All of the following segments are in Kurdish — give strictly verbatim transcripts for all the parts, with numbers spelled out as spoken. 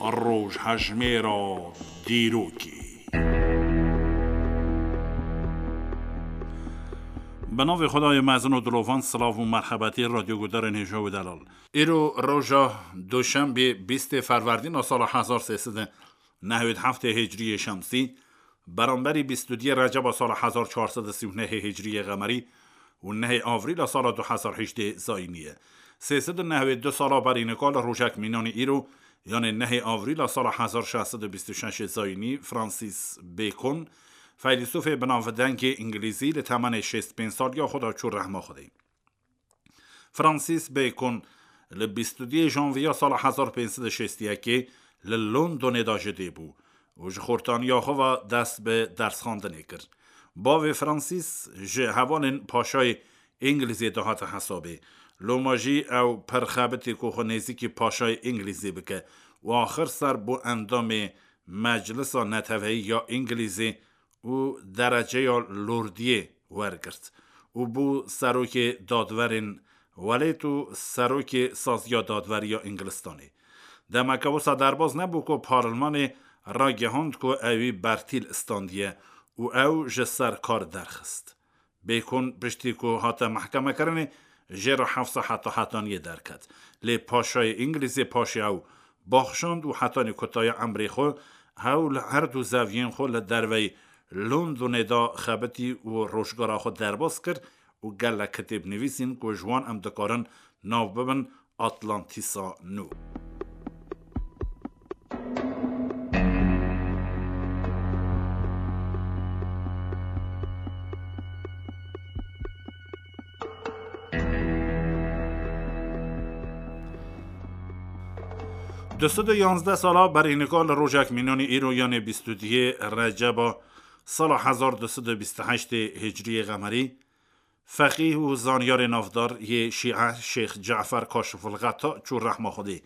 Rojhejmêra dîrokê. Bi navê Xwedayê mezin û dilovan, silav û merhebetî radyoguhdarên hêja û delal. Îro roja Duşembê, bîstê Ferwerdîna sala hezar sê sed û nehwêd heftê Hicriyê Şemsî, beramberî bîst û duyê Receba sala hezar çar sed û sî û nehê Hicriyê Qemerî û nehê Avrîla sala du hezar hejdê Zayînî ye. Sê sed û nehwêd du sala berî nika li rojek mînanî îro, yanê nehê Avrîla sala hezar şeş sed û bîst û şeşê Zayînî, Francis Bacon, feylesûfê binavdengê îngilîzî, li temenê şêst pênc saliya xwe de çû rehma Xwedê. Francis Bacon li bîst û duyê Janviya sala hezar pênc sed û şêst û yekê li Londonê de ji dê bû û ji xortaniya xwe ve dest bi dersxwendinê kir. Bavê Francis ji hevalên paşayê Îngilîzê dihate hesabê. Loma jî ew pir xebitî ku xwe nêzîkî paşayê Îngilîzê bike û axir ser bû endamê Meclisa Neteweyî ya Îngilîzê û dereceya lordiyê wergirt û bû serokê dadwerên welêt û serokê saziya dadwerî ya Îngilistanê. Demeke wisa derbas nebû ku parlmanê ragihand ku ewî bertîl standiye û ew ji ser kar derxist. Bêkon piştî ku hate mehkemekirinê, jê re hefsa heta hetaniyê derket. Lê paşayê Îngilîzê paşê ew baxşand û hetanî kutaya emrê xwe ew li her du zeviyên xwe li derveyî Londonê de xebitî û rojgara xwe derbas kir û gelek kitêb nivîsîn ku ji wan em dikarin nav bibin Atlantîsa Nû. Du sed û yanzdeh sala berî nika li rojek mînanî îro, yanê bîst û duyê Receba sala hezar du sed û bîst û heştê Hicriyê Qemerî, feqîh û zanyarê navdar yê Şîe Şêx Cafer Kaşifulxeta çû rehma Xwedê.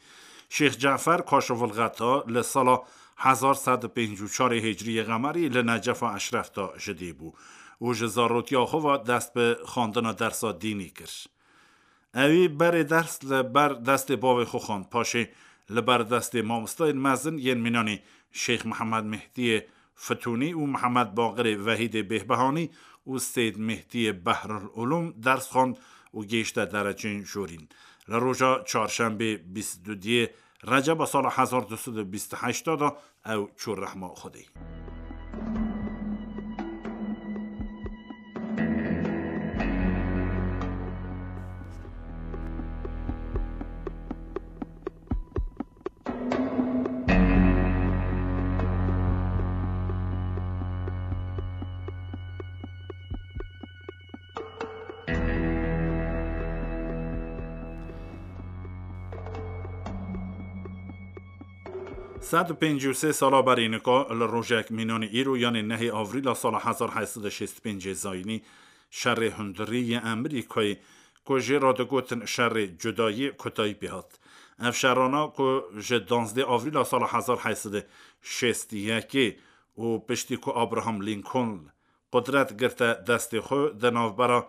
Şêx Cafer Kaşifulxeta li sala hezar sed û pêncî û çarê Hicriyê Qemerî li Necefa Eşref de ji dê bû û ji zarotiya xwe ve dest bi xwendina dersa dînî kir. Ewî berê ders li ber destê bavê xwe xwend, paşê li ber destê mamostayên mezin yên mînanî Şêx Mihemed Mehdiyê Fitunî û Mihemed Baqirê Vehîdê Bêhbehanî û Seyd Mehdiyê Behrul Ulûm ders xwend û gihişte dereceyên jorîn. Li roja çarşembê bîst û duyê Receba sala hezar du sed û bîst û heşt de ew çû rehma Xwedê. Sed û pêncî û sê sala berî nika li rojek mînanî îro, yanê nehê Avrîla sala hezar heyt sed û şêst û pêncê Zayînî, şerê hundirî yê Amerîkayê ku jê re digotin şerê cudayî, kutayî pê hat. Ev şerana ku ji danzdê Avrîla sala hezar heyt sed û şêst û yekê û piştî ku Abraham Lincoln qudret girte destê xwe, di navbera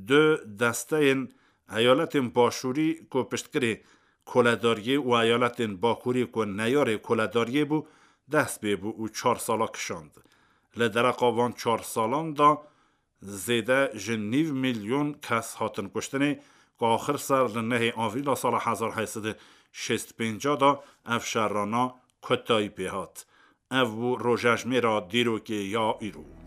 du desteyên eyaletên başûrî ku piştgirê koledariyê û eyaletên bakurî ku neyarê koledariyê bû, dest pê bû û çar sala kişand. Li dereqa van çar salan de zêde ji nîv milyon kes hatin kuştinê, ku axir ser li nehê Avrîla sala hezar heyt sed û şêst û pênc de ev şerana kutayî pê hat. Ev bû rojejmêra dîrokê ya îro.